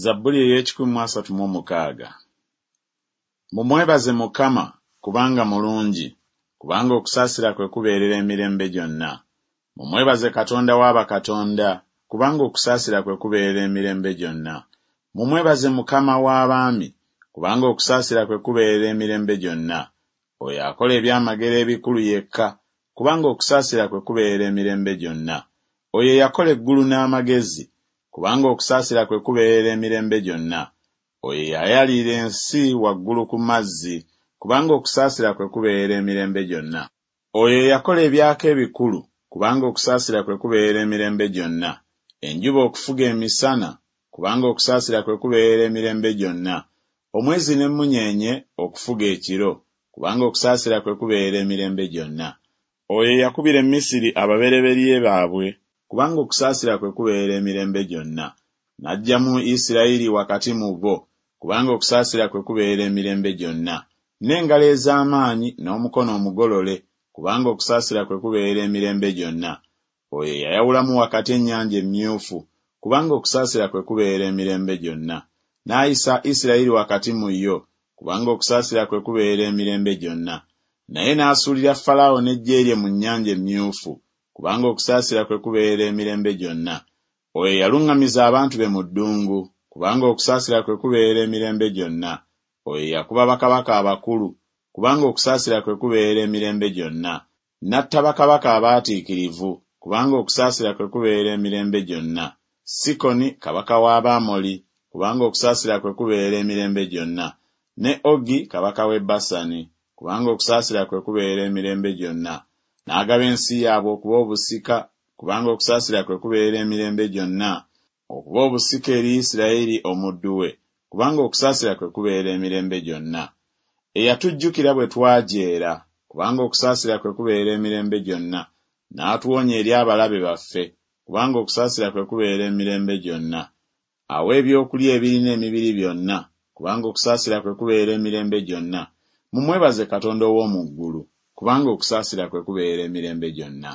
Zabbuli ey'ekikumi mu asatu mu omukaaga. Mumwebaze Mukama, kubanga mulungi, kubanga okusaasira kwe kubeerera emirembe gyonna. Mumwebaze Katonda wa bakatonda, kubanga okusaasira kwe kubeerera emirembe gyonna. Mumwebaze Mukama w'abaami, kubanga okusaasira kwe kubeerera emirembe gyonna. Oyo akola ebyamagero ebikulu yekka, kubanga okusaasira kwe kubeerera emirembe gyonna. Oyo eyakola eggulu n'amagezi, kubanga okusaasira kwe kubeerera emirembe gyonna. Oyo eyayalirira ensi waggulu ku mazzi, kubanga okusaasira kwe kubeerera emirembe gyonna. Oyo eyakola ebyaka ebikulu, kubanga okusaasira kwe kubeerera emirembe gyonna. Enjuba okufuga emisana, kubanga okusaasira kwe kubeerera emirembe gyonna. Omwezi n'emmunyeenye okufuga ekiro, kubanga okusaasira kwe kubeerera emirembe gyonna. Oyo eyakubira e Misiri ababereberye baabwe, kubanga okusaasira kwe kubeerera emirembe gyonna. N'aggyamu Isirayiri wakati mu bo, kubanga okusaasira kwe kubeerera emirembe gyonna. N'engalo ez'amaanyi n'omukono omugolole, kubanga okusaasira kwe kubeerera emirembe gyonna. Oyo eyayawulamu wakati Ennyanja Emmyufu, kubanga okusaasira kwe kubeerera emirembe gyonna. N'ayisa Isirayiri wakati mu yo, kubanga okusaasira kwe kubeerera emirembe gyonna. Naye n'asuulira Falaawo n'eggye lye mu Nnyanja Emmyufu, kubanga okusaasira kwe kubeerera emirembe gyonna. Oyo eyaluŋŋamiza abantu be mu ddungu, kubanga okusaasira kwe kubeerera emirembe gyonna. Oyo eyakuba bakabaka abakulu, kubanga okusaasira kwe kubeerera emirembe gyonna. N'atta bakabaka abaatiikirivu, kubanga okusaasira kwe kubeerera emirembe gyonna. Sikoni kabaka w'Abamoli, kubanga okusaasira kwe kubeerera emirembe gyonna. Ne Ogi kabaka w'e Basani, kubanga okusaasira kwe kubeerera emirembe gyonna. N'agaba ensi yaabwe okuba obusika, kubanga okusaasira kwe kubeerera emirembe gyonna, okuba obusika eri Isirayiri omuddu we, kubanga okusaasira kwe kubeerera emirembe gyonna. Eyatujjukira bwe twajeera, kubanga okusaasira kwe kubeerera emirembe gyonna, n'atuwonya eri abalabe baffe, kubanga okusaasira kwe kubeerera emirembe gyonna. Awa ebyokulya ebirina emibiri byonna, kubanga okusaasira kwe kubeerera emirembe gyonna. Mumwebaze Katonda ow'omu ggulu, kubanga okusaasira kwe kubeerera emirembe gyonna.